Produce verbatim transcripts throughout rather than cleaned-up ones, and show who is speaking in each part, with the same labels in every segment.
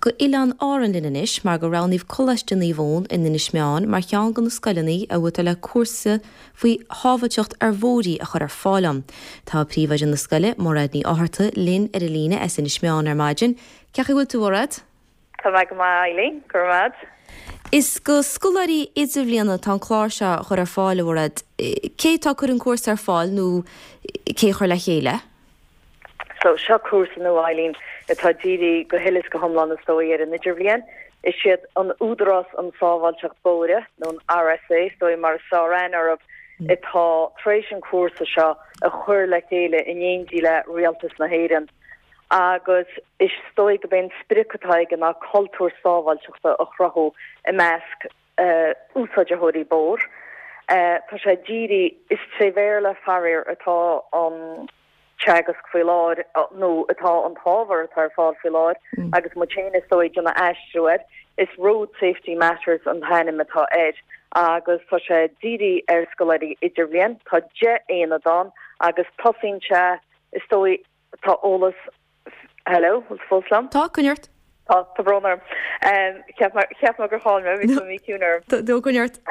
Speaker 1: go Oileáin Árann linn anois mar gur roghnaíodh Coláiste Naomh Eoin in Inis Meáin mar cheann de na scoileanna a bhfuil le cúrsa faoi shábháilteacht ar bhóithre a chur ar fáil ann. Tá príomhoide na scoile Mairéad Ní Fhátharta linn ar an líne as Inis Meáin ar maidin. Cén chaoi a bhfuil tú, Mairéad?
Speaker 2: Tá mé go maith, Eileen, go raibh.
Speaker 1: Is go scoláirí idirbhliana tá an clár seo a chur ar fáil, a Mhairéad. Cé tá ag cur an cúrsa ar fáil nó cé chuir le chéile?
Speaker 2: So seo cúrsa nua, Eileen, atá dírithe go huile is go hiomlán is dóigh ar an idirbhliain. Is siad an Údarás um Sábháilteacht Bóithre nó an R S A is dóigh mar is fearr aithne orthu atá tar éis an cúrsa seo a chur le chéile in éindí le Rialtas na hÉireann. Agus is dóigh gurb é an sprioc atá aige ná cultúr sábháilteachta a chruthú i measc uh, úsáideoirí bóthair. Uh, tá sé dírithe is tré Bhéarla faraor atá an teagasc faoi láthair nó atá an t-ábhar atá ar fáil faoi láthair mm. agus muid féin is dóigh ag aistriú air is Road Safety Matters an t-ainm atá air agus tá sé dírithe ar scoláirí idirbhliain tá deich n-aonad ann agus tosaíonn sé is dóigh tá eolas. Hello, fós liom?
Speaker 1: Tá cuneart.
Speaker 2: Tá tá brón orm. Cheap gur chaill mé bhí mí cúnar.
Speaker 1: Dó cuneart.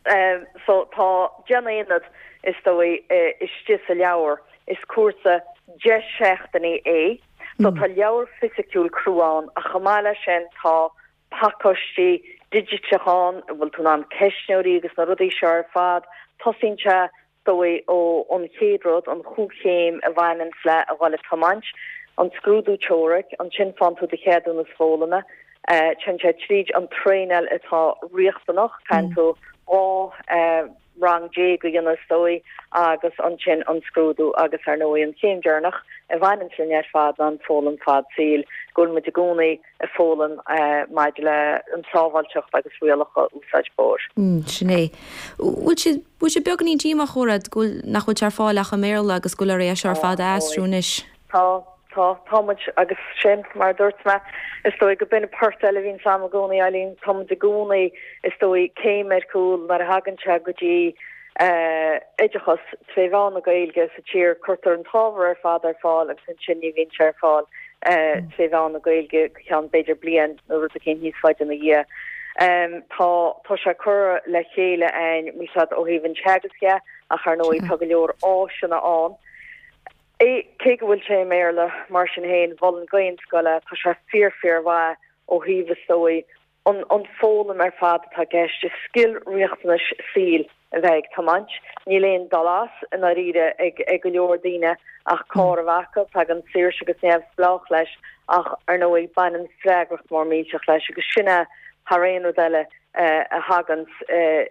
Speaker 2: Um, so tá deich n-aonad is dóigh istigh sa leabhar is cúrsa deich seachtainí é, so tá leabhar fisiciúil crua ann a chomh maith leis sin tá pacáistí digiteach ann bhfuil tú an ceistneoirí agus na rudaí seo ar fad. Tosaíonn sé dóigh ó an chéad rud an chúchéim a bhaineann le a bhile tiomáint an scrúdú teoirice ansin faigheann tú do cheadúnas foghlama téann sé tríd an traenáil atá riachtanach caithfidh tú dhá rang déag a dhéanamh is dóigh agus ansin an scrúdú agus ar ndóigh an chéim deireanach a bhaineann linn ar fad an foghlaim fad saoil go bhfuil muid i gcónaí ag foghlaim maidir le an sábháilteacht agus rialacha úsáid bóthair.
Speaker 1: Mm, sin é. Bhfuil sé bhfuil sé beagáinín díomách Mhairéad go nach bhfuil sé ar fáil ach i mBéarla agus go bhfuil é seo ar fad a aistriú anois.
Speaker 2: Tá tá tá muid agus sin mar dúirt mé is dóigh go b'in port eile bhíonn sam i gcónaí Eileen tá muid i gcónaí is dóigh céim ar cúl mar a thagann sé go dtí uh, oideachas tré mheán na Gaeilge sa tír. Cuirtear an t-ábhar ar fad ar fáil agus ansin ní bhíonn sé ar fáil uh, tré mheán na Gaeilge ceann b'fhéidir bliain nó rud éigin níos faide ina dhiaidh. Um, tá tá sé curtha le chéile an mísad ó thaobh an teagaisc ach ar ndóigh tá go leor áiseanna ann. É cé go bhfuil sé i mBéarla mar sin féin mholfainn d'aon scoil tá sé fíor fíormhaith ó thaobh is dóigh an an foghlaim ar fad atá i gceist is scil riachtanais saoil a bheith ag tiomáint. Níl aon dul as in áirithe ag ag go leor daoine ach carr a bheith acu. Tagann saoirse agus neamhspleách leis ach ar ndóigh baineann freagracht mór millteach leis agus sin é thar aon rud eile uh, a thagann uh,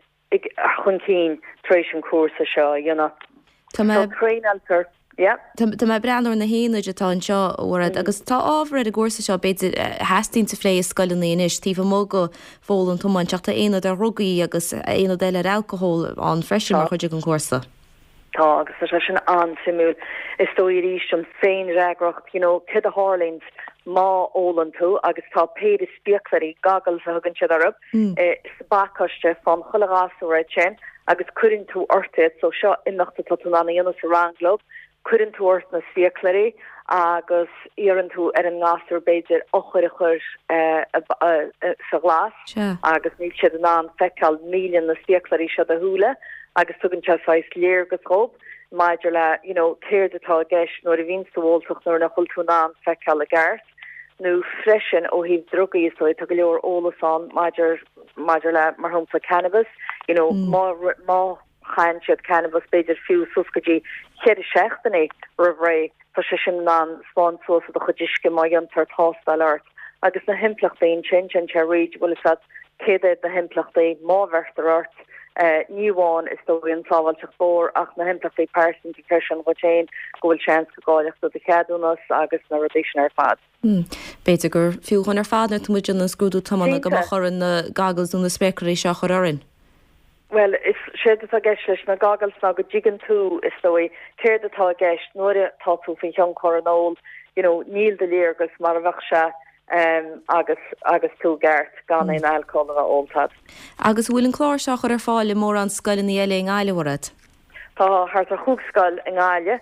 Speaker 2: chun cinn tar éis an cúrsa seo a dhéanamh.
Speaker 1: Tá mé
Speaker 2: traenáiltear. Yeah.
Speaker 1: Tá mé breathnú ar na haonaid atá anseo Mhairéad agus tá ábhar ar an gcúrsa seo b'fhéidir theastaíonn a phlé i scoileanna anois taobh amuigh de fhoghlaim tiomáint ach tá aonad ar dhrugaí agus aonad eile ar alcohol ann freisin mar chuid den chúrsa.
Speaker 2: Tá agus tá sé sin an-suimiúil is dóigh arís an féinfhreagracht you know, cad a tharlaíonn má ólann tú agus tá péire spéaclaí goggles a thugann siad orthu mm. eh, sa bpacáiste fán chuile ghasúr sin agus cuireann tú ort iad so seo imeacht atá tú in ann a dhéanamh sa rang leo cuireann tú ort na spéaclaí agus iarrann tú ar an ngasúr b'fhéidir eochair a chur uh, uh, uh, sa ghlas agus níl siad in ann feiceáil míleann na spéaclaí seo do shúile agus tugann sé saghas léargas dóibh maidir le you know, céard atá i gceist nuair a bhíonn tú óltach nuair nach bhfuil tú in ann feiceáil i gceart nó freisin ó thaobh drugaí so tá go leor eolas ann maidir maidir le mar shampla cannabis you know, mm. má má chaitheann siad cannabis b'fhéidir fiú suas go dtí ceithre seachtainí roimh ré tá sé sin in ann spáint suas i do chuid uisce má dhéantar tástáil ort agus na himpleachtaí sin sin sé réid bhfuil a céad na himpleachtaí má bheirtear ort uh, ní amháin is dóigh an sábháilteacht bóthair ach na himpleachtaí pearsanta freisin go féin go bhfuil seans go gcaillfeadh tú do cheadúnas agus na rudaí sin ar fad.
Speaker 1: Hmm. B'fhéidir gur fiú dhúinn ar fad nuair muid an scrúdú tiomána go chuir na goggles nó na spéaclaí seo chur orainn.
Speaker 2: Well is sé atá i gceist leis na goggles ná go dtuigeann tú is dóigh céard atá i gceist nuair atá tú faoi thionchar an óil you know, níl do léargas mar a bheadh sé um, agus agus tú ceart gan aon alcohol a bheith ólta agat.
Speaker 1: Agus bhfuil an clár seo chur ar fáil i mórán scoileanna eile i nGaillimh, a Mhairéad?
Speaker 2: Tá thart ar chúig scoil i nGaillimh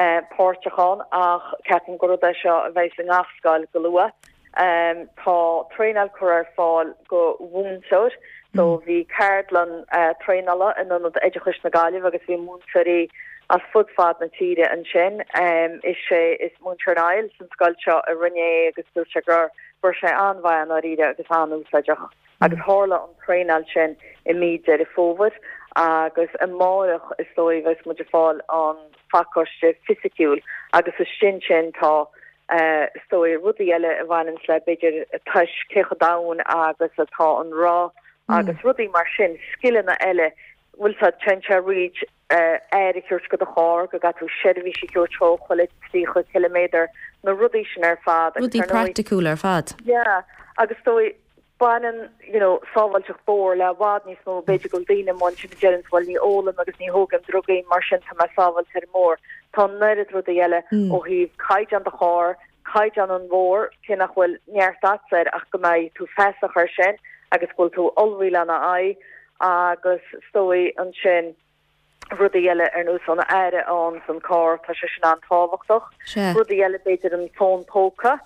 Speaker 2: uh, páirteach ann ach ceapaim gur rud é seo a bheidh i ngach scoil go luath. Um, tá traenáil curtha ar fáil go mhúinteoir, so bhí ceardlann uh, traenála in Ionad Oideachais na Gaillimhe agus bhí múinteoirí as fud fad na tíre ansin. Um, is sé is múinteoir Niall san scoil seo a rinne é agus dúirt sé gur gur sé an-mhaith an áiríre agus an-úsáideach. Agus tharla an traenáil sin i mí Deireadh Fómhair agus amárach is dóigh bheas muid ag fáil an phacáiste fisiciúil agus is sin sin tá uh, is dóigh rudaí eile a bhaineann le b'fhéidir tois cé chomh domhain agus atá an roth agus rudaí mar sin scileanna eile bhfuil sa ten reach air a thabhairt go do charr go gcaithfidh tú seirbhís a thabhairt dó chuile tríocha kilometer na rudaí sin ar fad
Speaker 1: Rudaí praiticiúil ar fad.
Speaker 2: Yeah, agus dóigh baineann you know, sábháilteacht bóthair le i bhfad níos mó b'fhéidir go daoine món sin dean bhfuil ní ólaim agus ní thógaim drugaí mar sin tá mé sábháilte ar an mbóthar. Tá neart rudaí eile mm. ó thaobh caighdeán do charr, caighdeán an bhóthair cé nach bhfuil neart air ach go mbeidh tú feasach ar sin agus bhfuil tú ullmhaithe lena aghaidh agus is dóigh ansin rudaí eile ar nós an aer ann san carr tá sé sin an-tábhachtach. Rudaí eile b'fhéidir an fón póca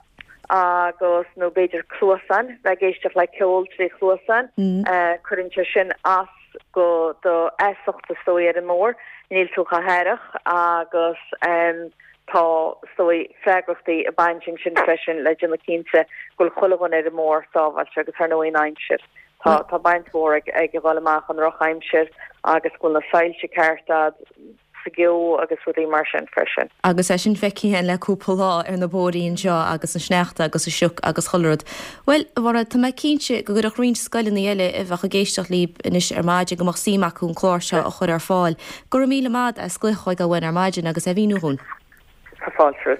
Speaker 2: agus nó b'fhéidir cluasáin bheith ag éisteacht le ceol trí chluasáin mm. uh, cuireann sé sin as go do fheasacht is dóigh ar an mbóthar, níl tú chomh haireach agus um, tá is dóigh freagrachtaí ag baint sin freisin le déanamh cinnte go bhfuil chuile dhuine ar an mbóthar sábháilte agus ar ndóigh an aimsir. Tá tá baint mhór ag ag dul amach an drochaimsir agus go bhfuil na soilse ceart sa gceo agus rudaí mar sin freisin.
Speaker 1: Agus é sin feicthe le cúpla lá ar na bóithre seo agus an sneachta agus an sioc agus chuile rud. Well mar tá mé cinnte go gcuirfeadh roinnt scoileanna eile a bheadh ag éisteacht libh anois ar maidin go mbeadh suim acu an clár seo a chur ar fáil. Go raibh míle maith as glaoch chugainn ar maidin agus é a mhíniú dúinn.
Speaker 2: Tá fáilte.